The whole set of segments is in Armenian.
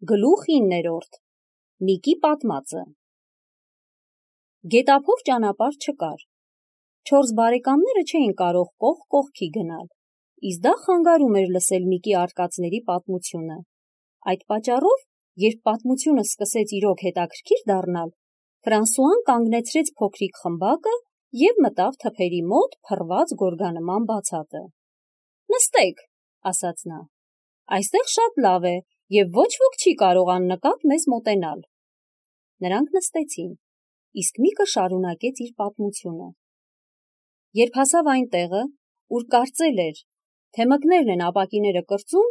Գլուխ 9-րդ Միկի պատմածը Գետափով ճանապարհ չկար, 4 բարեկամները չէին կարող կողք կողքի գնալ, իսկ դա խանգարում էր լսել Միկի արկածների պատմությունը, այդ պատճառով, երբ պատմությունը սկսեց իրոք հետաքրքիր դառնալ, Ֆրանսուան կանգնեցրեց փոքրիկ խմբակը և մտավ թփերի մոտ փռված գորգանման բացատը: «Նստեք», ասաց նա, «այստեղ շատ լավ է և ոչ ոք չի կարող աննկատ մեզ մոտենալ»: Նրանք նստեցին, իսկ Միկը շարունակեց իր պատմությունը: Երբ հասավ այն տեղը, ուր կարծել էր, թե մկներն են ապակիները կրծում,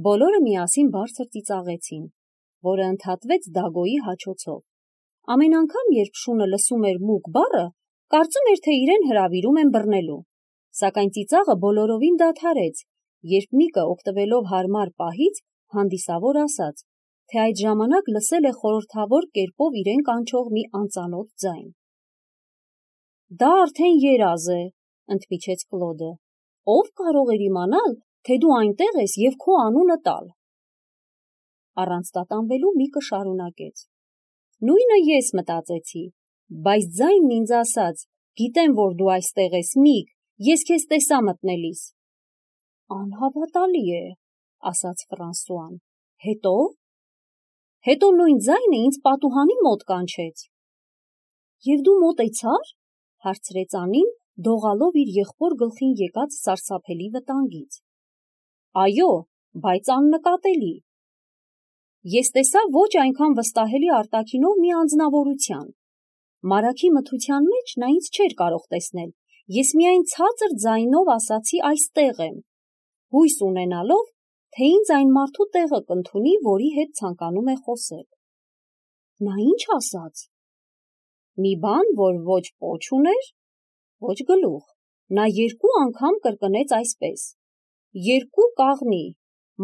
բոլորը միասին բարձր ծիծաղեցին, որը ընդհատվեց Դագոյի հաչոցով: Ամեն անգամ, երբ շունը լսում էր մուկ բառը, կարծում էր, թե իրեն հրավիրում են բռնելու, սակայն ծիծաղը բոլորովին դադարեց, երբ Միկը օգտվելով հարմար պահից, հանդիսավոր ասաց, թե այդ ժամանակ լսել է խորհրդավոր կերպով իրեն կանչող մի անծանոթ ձայն: «Դա արդեն երազ է», ընդմիջեց Կլոդը, «ով կարող էր իմանալ, թե դու այնտեղ ես և քո անունը տալ»: Առանց տատանվելու Միկը շարունակեց. «Նույնը ես մտածեցի, բայց ձայնն ինձ ասաց, գիտեմ, որ դու այստեղ ես, Միկ, ես քեզ տեսա մտնելիս»: «Անհավատալի է», ասաց Ֆրանսուան, «հետո՞»: «Հետո նույն ձայնը ինձ պատուհանի մոտ կանչեց»: «Եվ դու մոտեցա՞ր», հարցրեց Անին, դողալով իր եղբոր գլխին եկած սարսափելի վտանգից: «Այո, բայց աննկատելի»: «Ես տեսա ոչ այնքան վստահելի արտաքինով մի անձնավորության: Մարագի մթության մեջ նա ինձ չէր կարող տեսնել, ես միայն ցածր ձայնով ասացի այստեղ եմ, հույս ունենալով, թե ինձ այն մարդու տեղը կընդունի, որի հետ ցանկանում է խոսել»: «Նա ի՞նչ ասաց»: «Մի բան, որ ոչ պոչ ուներ, ոչ գլուխ: Նա 2 անգամ կրկնեց այսպես. «Երկու կաղնի,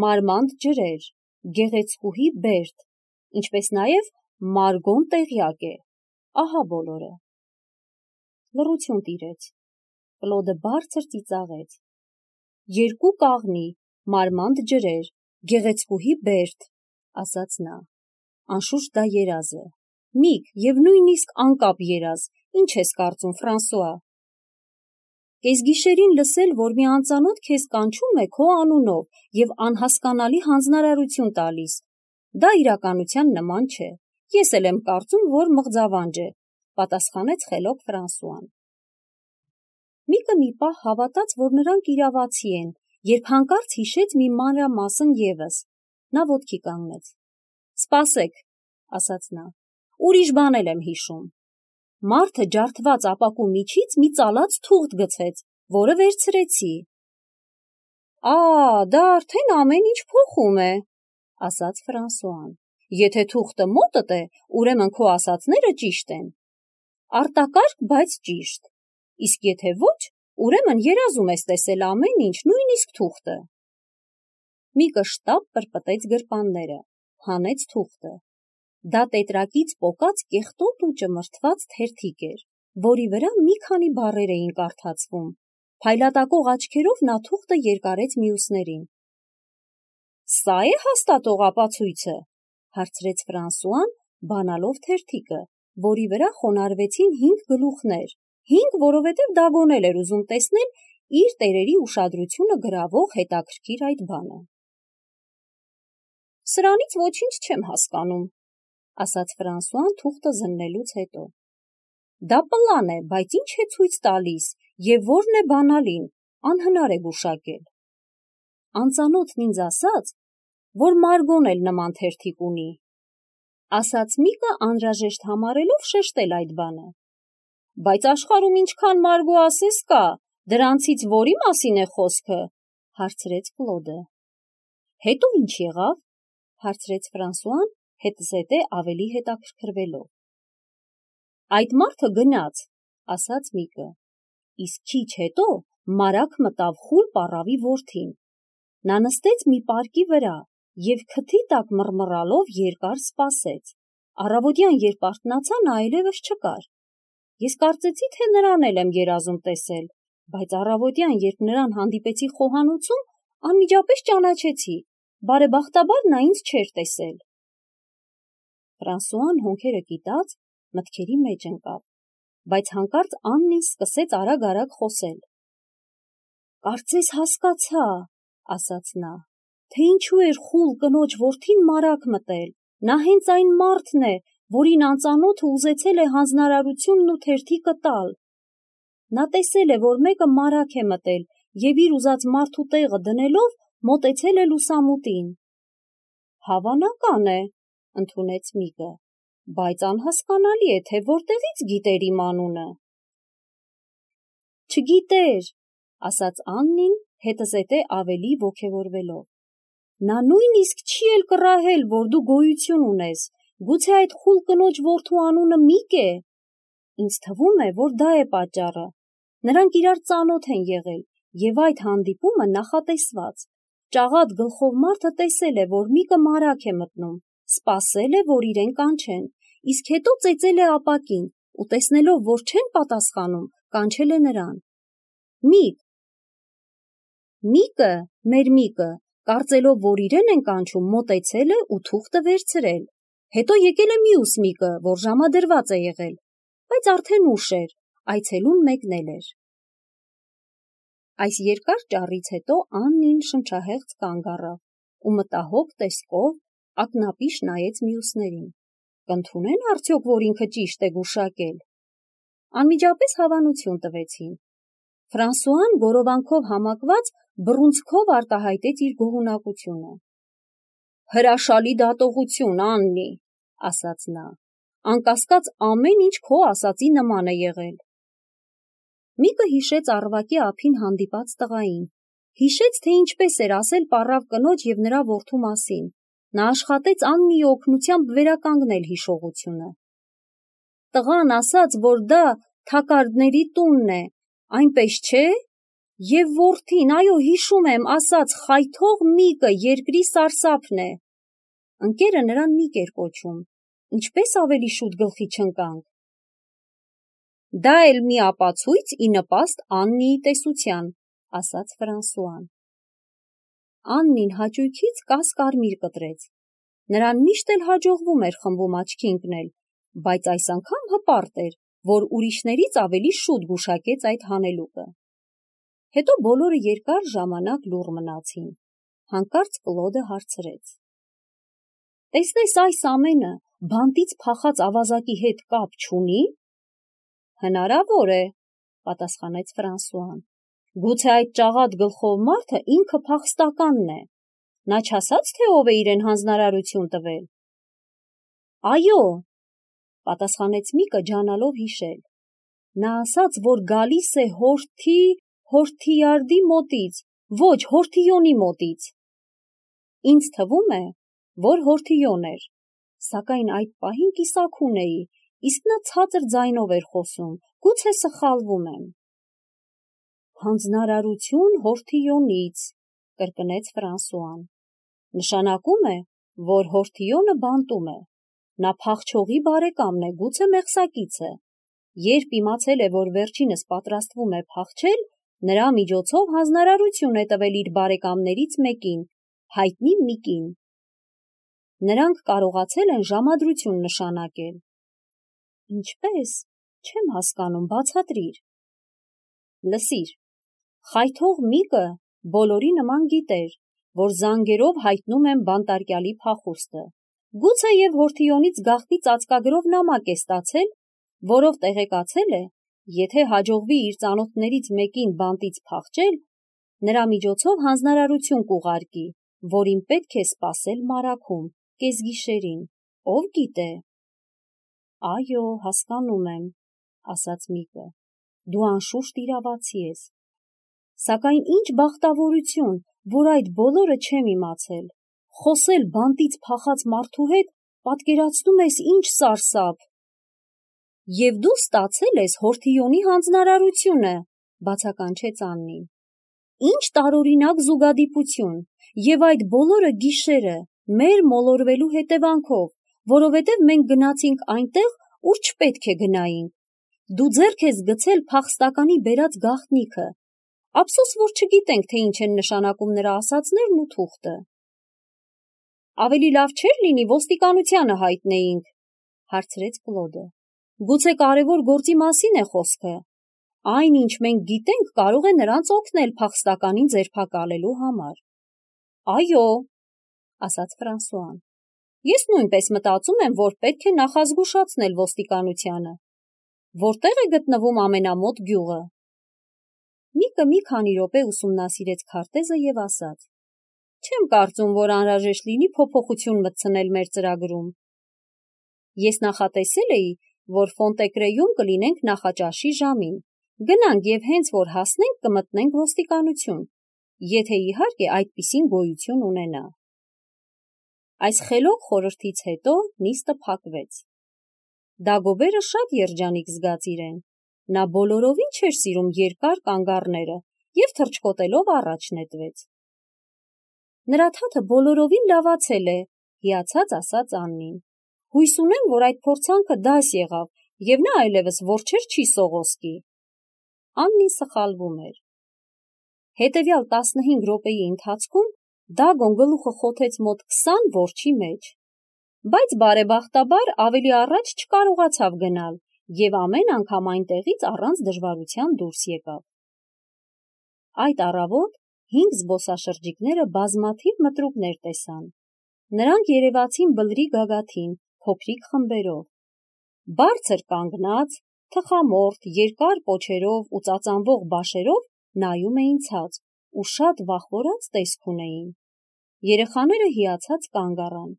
մարմանդ ջրեր, գեղեցկուհի Բերտ, ինչպես նաև Մարգոն տեղյակ է, ահա բոլորը»: Լռություն տիրեց: Կլոդը բարձր ծիծաղեց. «2 կաղնի, մարմանդ ջրեր, գեղեցկուհի Բերտ», ասաց նա, «անշուշտ դա երազ է, Միկ և նույնիսկ անկապ երազ, ինչ ես կարծում, Ֆրանսուଆ: Կեսգիշերին լսել, որ մի անծանոթ քեզ կանչում է քո անունով և անհասկանալի հանձնարարություն տալիս, դա իրականության նման չէ, ես էլ եմ կարծում, որ մղձավանջ է», պատասխանեց խելոք Ֆրանսուան: Միկը մի պահ հավատաց, որ նրանք իրավացի են, երբ հանկարծ հիշեց մի մանրամասն ևս: Նա ոտքի կանգնեց: «Սպասեք», ասաց նա, «ուրիշ բան էլ եմ հիշում: Մարդը ջարդված ապակու միջից մի ծալած թուղթ գցեց, որը վերցրեցի»: «Դա արդեն ամեն ինչ փոխում է», ասաց Ֆրանսուան, «եթե թուղթը մոտդ է, ուրեմն քո ասածները ճիշտ են: Արտակարգ, բայց ճիշտ: Իսկ եթե ոչ, ուրեմն երազում ես տեսել ամեն ինչ, նույնիսկ թուղթը»: Միկը շտապ պրպտեց գրպանները, հանեց թուղթը: Դա տետրակից պոկած կեղտոտ ու ճմրթված թերթիկ էր, որի վրա մի քանի բառեր էին կարդացվում: Փայլատակող աչքերով նա թուղթը երկարեց մյուսներին: «Սա՞ է հաստատող ապացույցը», հարցրեց Ֆրանսուան, բանալով թերթիկը, որի վրա խոնարհվեցին 5 գլուխներ, 5, որովհետև Դագոն էլ էր ուզում տեսնել իր տերերի ուշադրությունը գրավող հետաքրքիր այդ բանը: «Սրանից ոչինչ չեմ հասկանում», ասաց Ֆրանսուան թուղթը զննելուց հետո: «Դա պլան է, բայց ինչ է ցույց տալիս և որն է բանալին, անհնար է գուշակել»: «Անծանոթն ինձ ասաց, որ Մարգոն էլ նման թերթիկ ունի», ասաց Միկը, անհրաժեշտ համարելով շեշտել այդ բանը: «Բայց աշխարհում ինչքան Մարգո ասես կա, դրանցից որի՞ մասին է խոսքը», հարցրեց Կլոդը: «Հետո ինչ եղավ», հարցրեց Ֆրանսուան, հետզհետե ավելի հետաքրքրվելով: «Այդ մարդը գնաց», ասաց Միկը, «իսկ քիչ հետո մարագ մտավ խուլ պառավի որդին: Նա նստեց մի պարկի վրա և քթի տակ մռմռալով երկար սպասեց: Առավոտյան, երբ արթնացա, նա այլևս չկար: Ես կարծեցի, թե նրան էլ եմ երազում տեսել, բայց առավոտյան, երբ նրան հանդիպեցի խոհանոցում, անմիջապես ճանաչեցի: Բարեբախտաբար նա ինձ չէր տեսել: Ֆրանսուան հոնքերը կիտած մտքերի մեջ ընկավ, բայց հանկարծ Աննին սկսեց արագ-արագ խոսել. «Կարծես հասկացա», ասաց նա, թե ինչու էր խուլ կնոջ որդին մարակ մտել, նա հենց այն մարդն է, որին անծանոթը ուզեցել է հանձնարարությունն ու թերթիկը տալ։ Նա տեսել է, որ մեկը մարակ է մտել և իր ուզած մարդու տեղը դնելով մոտեցել է լուսամուտին։ Հավանական է, ընդունեց Միկը, բայց անհասկանալի է, թե որտեղից գիտեր իմ անունը։ Չգիտեր, ասաց Աննին հետզհետե ավելի ոգևորվելով։ Նա նույնիսկ չի էլ կռահել, որ դու գոյություն ունես, գուցե այդ խուլ կնոջ որդու անունը Միկ է։ Ինձ թվում է, որ դա է պատճառը։ Նրանք իրար ծանոթ են եղել, և այդ հանդիպումը նախատեսված։ Ճաղատ գլխով մարդը տեսել է, որ Միկը մարակ է մտնում, սպասել է, որ իրեն կանչեն, իսկ հետո ծեծել է ապակին ու տեսնելով, որ չեն պատասխանում, կանչել է նրան։ Միկ։ Միկը, մեր Միկը, կարծելով, որ իրեն են կանչում, մոտեցել է ու թուղթը վերցրել։ Հետո եկել է մյուս Միկը, որ ժամադրված է եղել, բայց արդեն ուշ էր, այցելուն մեկնել էր։ Այս երկար ճառից հետո Աննին շնչահեղձ կանգ առավ ու մտահոգ տեսքով ակնապիշ նայեց մյուսներին։ Կընդունեն արդյոք, որ ինքը ճիշտ է գուշակել։ Անմիջապես հավանություն տվեցին։ Ֆրանսուան գորովանքով համակված բռունցքով արտահայտեց իր գոհունակությունը։ Հրաշալի դատողություն, Աննի, ասաց նա, անկասկած ամեն ինչ քո ասածի նման է եղել։ Միկը հիշեց առվակի ափին հանդիպած տղային, հիշեց, թե ինչպես էր ասել պառավ կնոջ և նրա որդու մասին։ Նա աշխատեց Աննիի օգնությամբ վերականգնել հիշողությունը։ Տղան ասաց, որ դա թակարդների տունն է, այնպես չէ՞։ Եվ որդին, այո, հիշում եմ, ասաց խայթող Միկը երկրի սարսափն է։ Ընկերը նրան Միկ էր կոչում, ինչպես ավելի շուտ գլխի չընկանք։ Դա էլ մի ապացույց ի նպաստ Աննիի տեսության, ասաց Ֆրանսուան։ Աննին հաճույքից կաս-կարմիր կտրեց։ Նրան միշտ էլ հաջողվում էր խմբում աչքի ընկնել, բայց այս անգամ հպարտ էր, որ ուրիշներից ավելի շուտ գուշակեց այդ հանելուկը։ Հետո բոլորը երկար ժամանակ լուռ մնացին։ Հանկարծ Կլոդը հարցրեց. Տեսնես այս ամենը բանտից փախած ավազակի հետ կապ չունի։ Հնարավոր է, պատասխանեց Ֆրանսուան։ Գուցե այդ ճաղատ գլխով մարդը ինքը փախստականն է։ Նա չասաց, թե ով է իրեն հանձնարարություն տվել։ Այո, պատասխանեց Միկը ջանալով հիշել։ Նա ասաց, որ գալիս է Հորթիարդի մոտից, ոչ, Հորթիոնի մոտից։ Ինձ թվում է, որ Հորթիոն էր, սակայն այդ պահին կիսաքուն էի, իսկ նա ցածր ձայնով էր խոսում, գուցե սխալվում եմ։ Հանձնարարություն Հորթիոնից, կրկնեց Ֆրանսուան։ Նշանակում է, որ Հորթիոնը բանտում է։ Նա փախչողի բարեկամն է, գուցե մեղսակիցը։ Երբ իմացել է, որ վերջինս պատրաստվում է փախչել, նրա միջոցով հանձնարարություն է տվել իր բարեկամներից մեկին, հայտնի Միկին։ Նրանք կարողացել են ժամադրություն նշանակել։ Ինչպես, չեմ հասկանում, բացատրիր։ Լսիր, խայթող Միկը բոլորի նման գիտեր, որ զանգերով հայտնում են բանտարկյալի փախուստը։ Գուցե և Հորթիոնից գաղտնի ծածկագրով նամակ է ստացել, որով տեղեկացել է, եթե հաջողվի իր ծանոթներից մեկին բանտից փախչել, նրա միջոցով հանձնարարություն կուղարկի, որին պետք է սպասել մարաքում, կեսգիշերին, ով գիտե։ Այո, հասկանում եմ, ասաց Միկը, դու անշուշտ իրավացի ես։ Սակայն ինչ բախտավորություն, որ այդ բոլորը չեմ իմացել։ Խոսել բանտից փախած մարդու հետ, պատկերացնում ես ինչ սարսափ։ Եվ դու ստացել ես Հորթիոնի հանձնարարությունը, բացականչեց Աննին։ Ինչ տարօրինակ զուգադիպություն, և այդ բոլորը գիշերը, մեր մոլորվելու հետևանքով, որովհետև մենք գնացինք այնտեղ, ուր չպետք է գնայինք։ Դու ձեռք ես գցել փախստականի բերած գաղտնիքը։ Ափսոս, որ չգիտենք, թե ինչ են նշանակում նրա ասածներն ու թուղթը։ Ավելի լավ չէր լինի ոստիկանությանը հայտնեինք, հարցրեց Կլոդը։ Գուցե կարևոր գործի մասին է խոսքը։ Այն, ինչ մենք գիտենք, կարող է նրանց օգնել փախստականին ձերբակալելու համար։ Այո, ասաց Ֆրանսուան։ Ես նույնպես մտածում եմ, որ պետք է նախազգուշացնել ոստիկանությանը։ Որտեղ է գտնվում ամենամոտ գյուղը։ Նիկը մի քանի րոպե ուսումնասիրեց քարտեզը եւ ասաց. Չեմ կարծում, որ անհրաժեշտ լինի փոփոխություն մտցնել մեր ծրագրում։ Ես նախատեսել էի, որ Ֆոնտեկրեյում կլինենք նախաճաշի ժամին։ Գնանք եւ հենց որ հասնենք կմտնենք ոստիկանություն, եթե իհարկե այդպիսին գոյություն ունենա։ Այս խելոք խորհրդից հետո նիստը փակվեց։ Դագոբերը շատ երջանիկ զգաց իրեն։ Նա բոլորովին չէր սիրում երկար կանգառները եւ թռչկոտելով առաջ նետվեց։ Նրա թաթը բոլորովին լավացել է, հիացած ասաց Աննին։ Հույս ունեմ, որ այդ փորձանքը դաս եղավ եւ նա այլևս որջեր չի սողոսկի։ Աննին սխալվում էր։ Հետևյալ 15 րոպեի ընթացքում Դագոն գլուխը խոթեց մոտ 20 որջի մեջ, բայց բարեբախտաբար ավելի առաջ չկարողացավ գնալ եւ ամեն անգամ այնտեղից առանց դժվարության դուրս եկավ։ Այդ առավոտ 5 զբոսաշրջիկները բազմաթիվ մտրուկներ տեսան։ Նրանք երևացին բլրի գագաթին, փոքրիկ խմբերով։ Բարձր կանգնած, թխամորթ, երկար պոչերով ու ծածանվող բաշերով նայում էին ցած ու շատ վախվորած տեսք ունեին։ Երեխաները հիացած կանգ առան։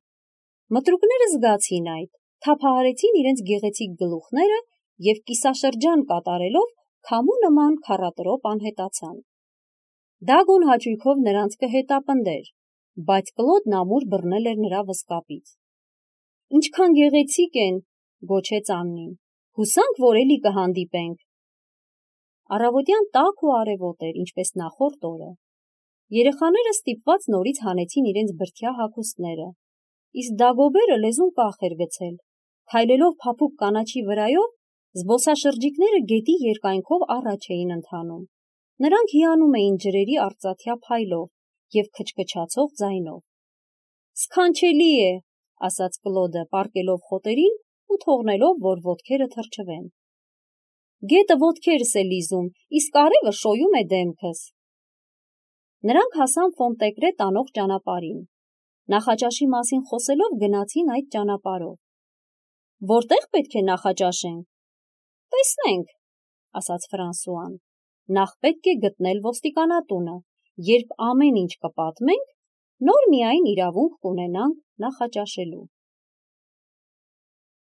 Մտրուկները զգացին այդ, թափահարեցին իրենց գեղեցիկ գլուխները եւ կիսաշրջան կատարելով քամու նման քառատրոպ անհետացան։ Դագոն հաճույքով նրանց կհետապնդեր, բայց Կլոդն ամուր բռնել էր նրա վսկապից։ Ինչքան գեղեցիկ են, գոչեց Աննին։ Հուսանք, որ էլի կհանդիպենք։ Առավոտյան տաք ու արևոտ էր, ինչպես նախորդ օրը։ Երեխաները ստիպված նորից հանեցին իրենց բրդյա հագուստները, իսկ Դագոբերը լեզուն կախ էր գցել։ Քայլելով փափուկ կանաչի վրայով, զբոսաշրջիկները գետի երկայնքով առաջ էին ընթանում։ Նրանք հիանում էին ջրերի արծաթյա փայլով եւ քչքչացող ձայնով։ Սքանչելի է, ասաց Կլոդը, պառկելով խոտերին ու թողնելով, որ ոտքերը թրջվեն։ Գետը ոտքերս է լիզում, իսկ արևը շոյում է դեմքս։ Նրանք հասան Ֆոնտեկրե տանող ճանապարհին։ Նախաճաշի մասին խոսելով գնացին այդ ճանապարհով։ Որտեղ պետք է նախաճաշենք։ Տեսնենք, ասաց Ֆրանսուան։ Նախ պետք է գտնել ոստիկանատունը, երբ ամեն ինչ կպատմենք, նոր միայն իրավունք կունենանք նախաճաշելու։